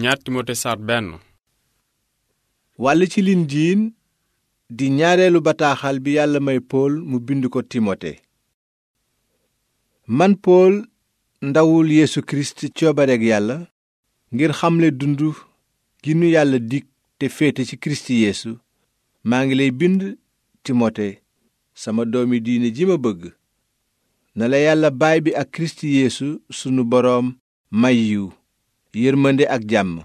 ñaar Timote saar benn. wàll ci linjiin di ñaareelu bataaxal bi yàlla may Pool mu bind ko Timote. man Pool ndawul Yeesu Kirist coobareeg yàlla ngir xamle dund gi nu yàlla dig te féete ci Kirist Yeesu maa ngi lay bind Timote sama doomi diine ji ma bëgg. na la yàlla baay bi ak Kirist Yeesu sunu boroom may yiw yërmande ak jàmm.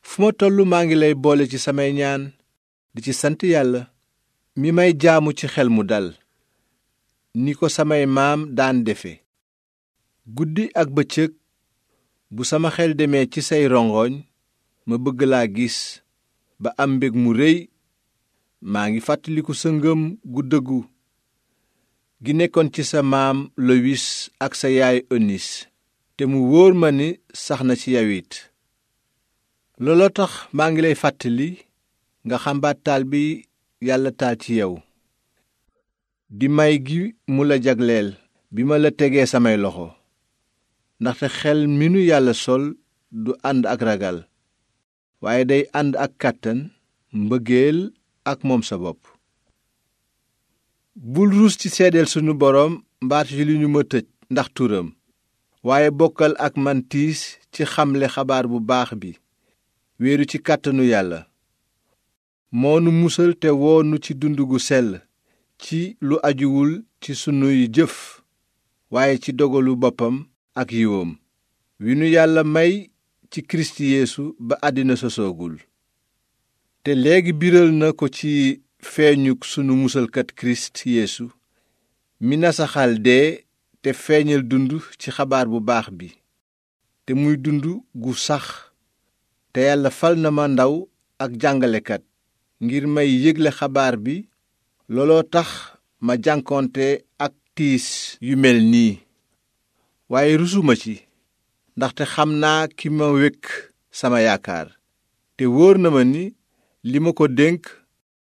fu ma tollu maa ngi lay boole ci samay ñaan di ci sant yàlla mi may jaamu ci xel mu dal ni ko samay maam daan defe. guddi ak bëccëg bu sama xel demee ci say rongoñ ma bëgg laa gis ba am mbég mu réy. maa ngi fàttaliku sa ngëm gu dëggu gi nekkoon ci sa maam Lowis ak sa yaay Onis te mu wóor ma ni sax na ci yow it. looloo tax maa ngi lay fàttali nga xambaat taal bi yàlla taal ci yow di may gi mu la jagleel bi ma la tegee samay loxo. ndaxte xel mi nu yàlla sol du ànd ak ragal waaye day ànd ak kàttan mbëggeel ak moom sa bopp. bul ruus ci seedeel sunu boroom mbaat ci li ñu ma tëj ndax turam waaye bokkal ak man tiis ci xamle xabaar bu baax bi wéeru ci kàttanu yàlla. moo nu musal te woo nu ci dund gu sell ci lu ajuwul ci sunuy jëf waaye ci dogalu boppam ak yiwoom wi nu yàlla may ci Kirist Yeesu ba àddina sosoogul. te léegi biral na ko ci feeñuk sunu musalkat Kirist Yeesu mi nasaxal dee te feeñal dund ci xabaar bu baax bi te muy dund gu sax. te yàlla fal na ma ndaw ak jàngalekat ngir may yégle xabaar bi. looloo tax ma jànkoonte ak tiis yu mel nii waaye rusuma ci ndaxte xam naa ki ma wekk sama yaakaar te wóor na ma ni li ma ko dénk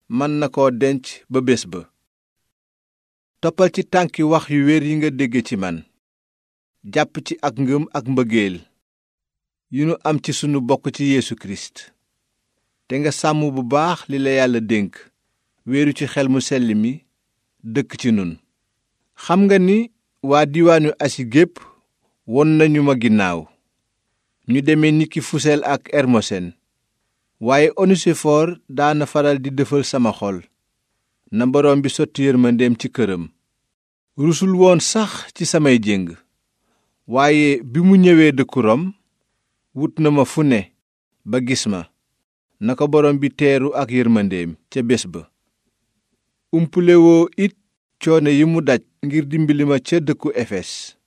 mën na koo denc ba bés ba. toppal ci tànki wax yu wér yi nga dégge ci man jàpp ci ak ngëm ak mbëggeel yi nu am ci sunu bokk ci Yeesu Kirist te nga sàmm bu baax li la yàlla dénk wéeru ci xel mu sell mi dëkk ci nun. xam nga ni waa diwaanu Asi gépp won nañu ma ginnaaw ñu deme ni ki Fusel ak Ermosen waaye Onesifoor daana faral di dëfal sama xol na boroom bi sotti yërmandeem ci këram. rusul woon sax ci samay jéng waaye bi mu ñëwee dëkku Rom wut na ma fu ne ba gis ma na ko boroom bi teeru ak yërmandeem ca bés ba. umpulewoo it coono yi mu daj ngir dimbali ma ca dëkku Efes